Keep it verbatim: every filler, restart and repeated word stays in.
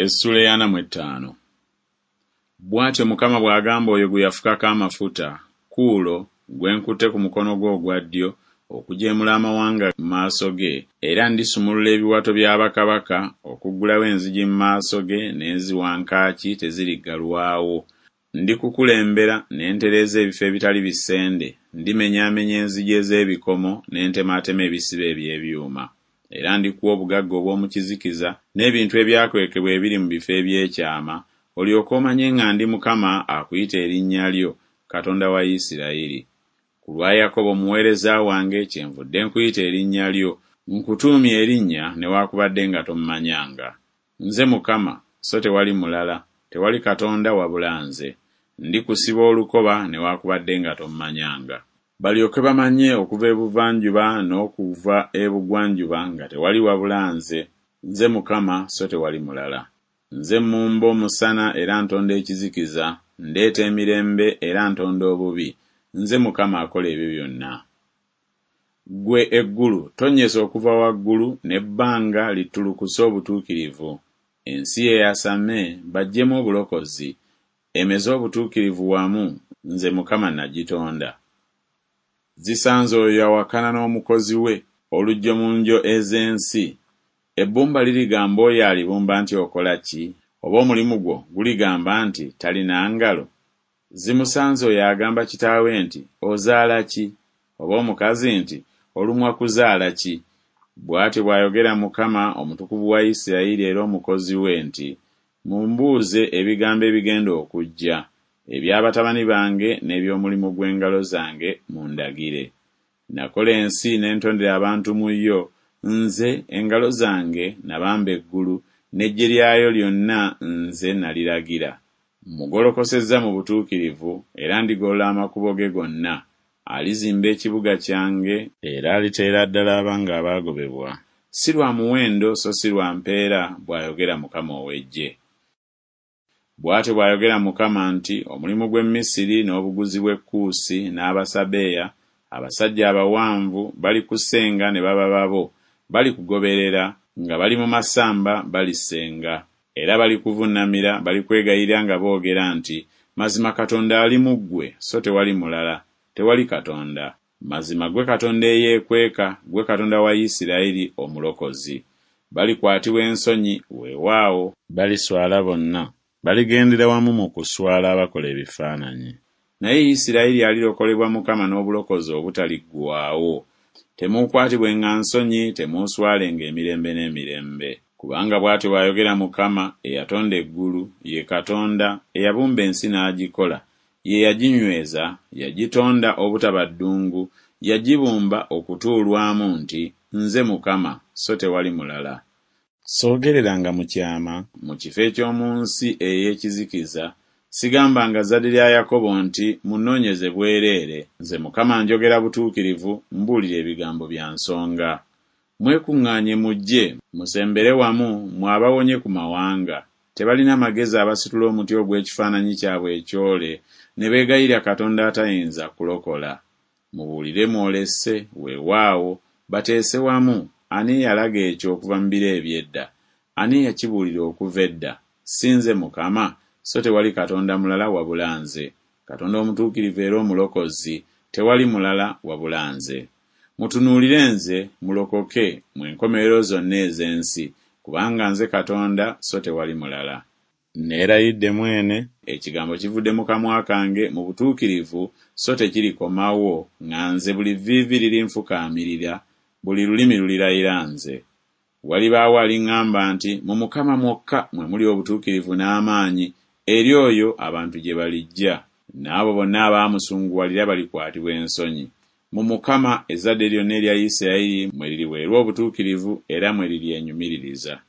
Essuula ey'ana mu ettaano. Bw'atyo Mukama bw'agamba oyo gwe yafukako amafuta, Kuulo, gwe nkutte ku mukono gwe ogwa ddyo okujeemula amawanga mu maaso ge, era ndisumulula ebiwato bya bakabaka, okuggulawo enzigi mu maaso ge, n'eziwankaaki teziriggalwawo. Ndikukulembera ne ntereeza ebifo ebitali bisende, ndimenyaamenya enzigi ez'ebikomo ne ntemaatema ebisiba eby'ebyuma. Era ndikuwa obugagga obw'omu kizikiza n'ebintu ebyakwekebwa ebiri mu bifo eby'ekyama, olyoke omanye nga ndi Mukama akuyita erinnya lyo, Katonda wa Isirayiri. Ku lwa Yakobo omuweereza wange kyenvudde nkuyita erinnya lyo, nkutuumye erinnya newaakubadde nga tommanyanga. Nze Mukama, so tewali mulala, tewali Katonda wabula nze. Ndikusiba olukoba newaakubadde nga tommanyanga. Balyoke bamanye okuva ebuvanjuba n'okuva ebugwanjuba nga tewali wabula nze, nze Mukama, so tewali mulala. Nze mmumba omusana era ntonda ekizikiza, ndeeta emirembe era ntonda obubi, nze Mukama akola ebyo byonna. Ggwe eggulu tonnyesa okuva waggulu, n'ebbanga littulukuse obutuukirivu. Ensi eyasame baggyemu obulokozi, emeze obutuukirivu wamu, nze Mukama nagitonda. Zisanze oyo awakana n'omukozi we, oluggyo mu ngyo ez'ensi. Ebbumba lirigamba oyo alibumba nti okola ki? Oba omulimu gwo guligamba nti talina ngalo? Zimusanze oyo agamba kitaawe nti ozaala ki? Oba omukazi nti olumwa kuzaala ki? Bw'atyo bw'ayogera Mukama Omutukuvu wa Isirayiri era Omukozi we nti, Mumbuuze ebigambo ebigenda okujja, ebya batabani bange n'eby'omulimu gw'engalo zange mundagire. Nakola ensi ne ntondera abantu mu yo, nze, engalo zange nabamba eggulu, n'eggye lyayo lyonna nze naliragira. Mmugolokosezza mu butuukirivu, era ndigolola amakubo ge gonna. Alizimba ekibuga kyange, era aliteera ddala abange abaagobebwa. Si lwa muwendo so si lwa mpeera, bw'ayogera Mukama ow'eggye. Bw'atyo bw'ayogera Mukama nti, Omulimu gw'e Misiri n'obuguzi bw'e Kuusi n'Abasabeya, abasajja abawanvu, balikusenga ne baba babo, balikugoberera, nga bali mu masamba balisenga, era balikuvunnamira, balikwegayirira nga boogera nti, Mazima Katonda ali mu ggwe, so tewali mulala, tewali Katonda. Mazima ggwe Katonda eyeekweka, ggwe Katonda wa Isirayiri Omulokozi. Balikwatibwa ensonyi, weewaawo, baliswala bonna, baligendera wamu mu kuswala abakola ebifaananyi. Naye Isirayiri alirokolebwa Mukama n'obulokozi obutaliggwaawo. Temuukwatibwenga nsonyi, temuuswalenga emirembe n'emirembe. Kubanga bw'atyo bw'ayogera Mukama eyatonda eggulu, ye Katonda, eyabumba ensi n'agikola, ye yaginyweza, yagitonda obutaba ddungu, yagibumba okutuulwamu nti, Nze Mukama, so tewali mulala. Soogereranga mu kyama mu kifo eky'omu nsi ey'ekizikiza, sigambanga zzadde lya Yakobo nti, Munnoonyeze bwereere. Nze Mukama njogera butuukirivu, mbuulira ebigambo bya nsonga. Mwekuŋŋaanye mujje, musembere wamu, mmwe abawonye ku mawanga. Tebalina magezi abasitula omuti ogw'ekifaananyi kyabwe ekyole, ne beegayirira katonda atayinza kulokola. Mubuulire mwolese, weewaawo, bateese wamu, ani eyalaga ekyo okuva mu biro eby'edda? Ani eyakibuulira okuva edda? Si nze Mukama? So tewali Katonda mulala wabula nze, Katonda omutuukirivu era Omulokozi, tewali mulala wabula nze. Mutunuulire nze, mulokoke, mmwe enkomerero zonna ez'ensi, kubanga nze Katonda, so tewali mulala. Neerayidde mwene, ekigambo kivudde mu kamwa kange mu butuukirivu, so tekirikomawo, nga nze buli vviivi lirinfukaamirira, buli lulimi lulirayira nze. Walibaawo aliŋŋamba nti, Mu Mukama mwokka mwe muli obutuukirivu n'amaanyi, eri oyo abantu gye balijja. N'abo bonna abaamusunguwalira balikwatibwa ensonyi. Mu Mukama ezzadde lyonna erya Isirayiri mwe liriweerwa obutuukirivu era mwe liryenyumiririza.